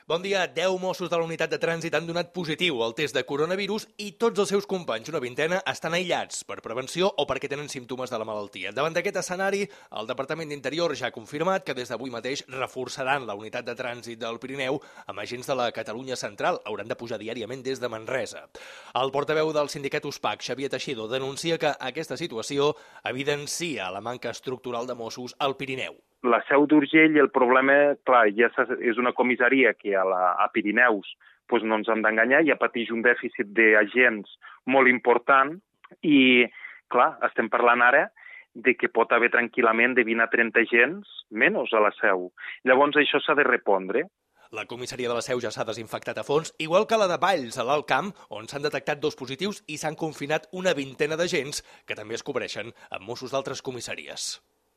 Bon dia. 10 Mossos de la unitat de trànsit han donat positiu al test de coronavirus i tots els seus companys, una vintena, estan aïllats per prevenció o perquè tenen símptomes de la malaltia. Davant d'aquest escenari, el Departament d'Interior ja ha confirmat que des d'avui mateix reforçaran la unitat de trànsit del Pirineu amb agents de la Catalunya Central. Hauran de pujar diàriament des de Manresa. El portaveu del sindicat USPAC, Xavier Teixidor, denuncia que aquesta situació evidencia la manca estructural de Mossos al Pirineu. La Seu d'Urgell, el problema, clar, ja és una comissaria que a Pirineus doncs no ens hem d'enganyar, ja pateix un dèficit d'agents molt important i, clar, estem parlant ara de que pot haver tranquil·lament de 20 a 30 agents menys a la Seu. Llavors això s'ha de repondre. La comissaria de la Seu ja s'ha desinfectat a fons, igual que la de Valls, a l'Alt Camp, on s'han detectat 2 positius i s'han confinat una vintena d'agents que també es cobreixen amb Mossos d'altres comissaries.